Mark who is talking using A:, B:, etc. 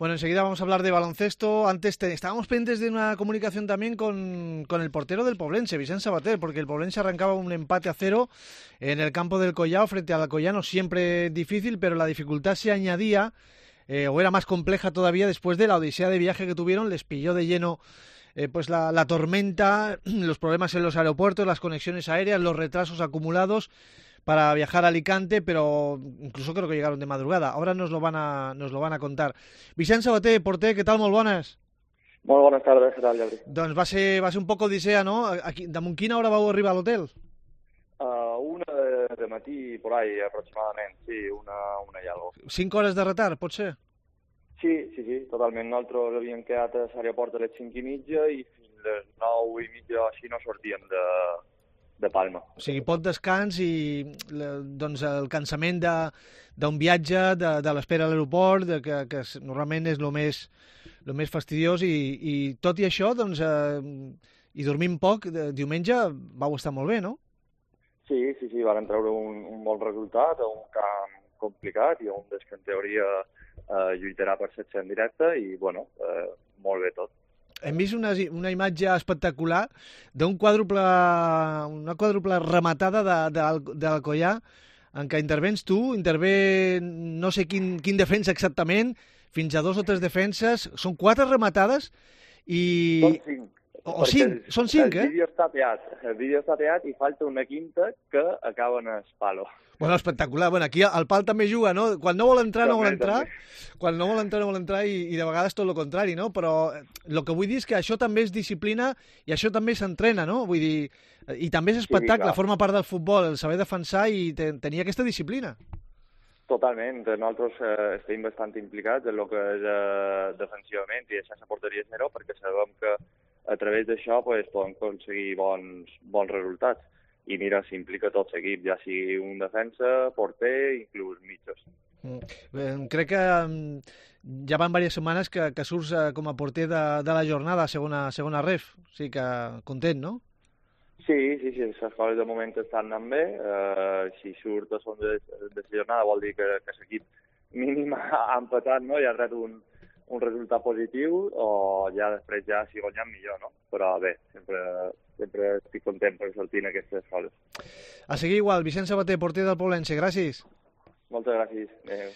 A: Bueno, enseguida vamos a hablar de baloncesto. Antes estábamos pendientes de una comunicación también con el portero del Poblense, Vicent Sabater, porque el Poblense arrancaba un empate a 0 en el campo del Collao frente al Alcoyano, siempre difícil, pero la dificultad se añadía, o era más compleja todavía después de la odisea de viaje que tuvieron. Les pilló de lleno pues la tormenta, los problemas en los aeropuertos, las conexiones aéreas, los retrasos acumulados para viajar a Alicante, pero incluso creo que llegaron de madrugada. Ahora nos lo van a contar. Vicent Sabater, porter, què tal? Molt bones.
B: Molt bones tardes, què tal, Gabri?
A: Doncs va ser un poc odissea, no? Aquí, damunt quina hora vau arribar a l'hotel?
B: Una de matí, por ahí, aproximadament, sí, una i algo.
A: 5 hores de retard, pot ser?
B: Sí, totalment. Nosaltres havíem quedat a l'aeroport a les 5:30 i fins les 9:30 o així no sortíem de Palma.
A: O sigui, poc descans i doncs, el cansament d'un viatge, de l'espera a l'aeroport, que normalment és el més fastidiós, i tot i això, doncs, i dormint poc, diumenge vau estar molt bé, no?
B: Sí, varen treure un bon resultat a un camp complicat i un des que en teoria lluitarà per l'ascens directe i, bueno, molt bé tot.
A: Hem vist una imatge espectacular d'una quàdruple rematada de l'Alcoyà, en què intervens tu, intervé no sé quin defensa exactament, fins a 2 o 3 defenses, són 4 rematades i...
B: Són 5.
A: O 5, són 5,
B: El vídeo està teat i falta una quinta que acaben al palo.
A: Bueno, espectacular. Bueno, aquí el pal també juga, no? Quan no vol entrar, no vol entrar. Quan no vol entrar, no vol entrar, i de vegades tot el contrari, no? Però el que vull dir és que això també és disciplina i això també s'entrena, no? Vull dir, i també és espectacle, sí, forma part del futbol, el saber defensar i tenir aquesta disciplina.
B: Totalment. Nosaltres estem bastant implicats en el que és defensivament i deixar la porteria zero, perquè sabem que a través d'això pues, podem aconseguir bons resultats. I mira, s'implica tot l'equip, ja sigui un defensa, porter, inclús mitjos.
A: Crec que ja van diverses setmanes que surts com a porter de la jornada, segona ref. O sigui que content, no?
B: Sí, les coses de moment estan anant bé. Si surt a son de la jornada vol dir que l'equip mínim ha empatat, no? I ha tret un resultat positiu, o ja després si guanyem millor, no? Però bé, sempre estic content per sortir en aquestes coses.
A: A seguir igual, Vicent Sabater, porter del Poblense, gràcies.
B: Moltes gràcies. Adéu.